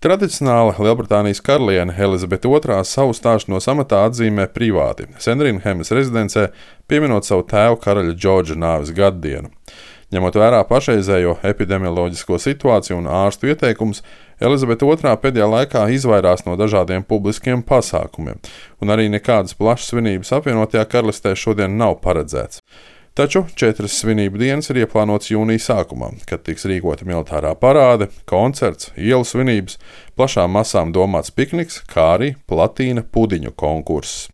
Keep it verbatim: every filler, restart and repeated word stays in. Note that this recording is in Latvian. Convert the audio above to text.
Tradicionāli Lielbritānijas karaliene Elizabete otrā savu stāšanos amatā atzīmē privāti Sandrinhemas rezidencē, pieminot savu tēva karaļa Džordža nāves gaddienu. Ņemot vērā pašreizējo epidemioloģisko situāciju un ārstu ieteikumus, Elizabete otrā pēdējā laikā izvairās no dažādiem publiskiem pasākumiem, un arī nekādas plašas svinības apvienotajā karalistē šodien nav paredzēts. Taču četras svinību dienas ir ieplānotas jūnija sākumā, kad tiks rīkota militārā parāde, koncerts, ielu svinības, plašām masām domāts pikniks, kā arī platīna pudiņu konkurss.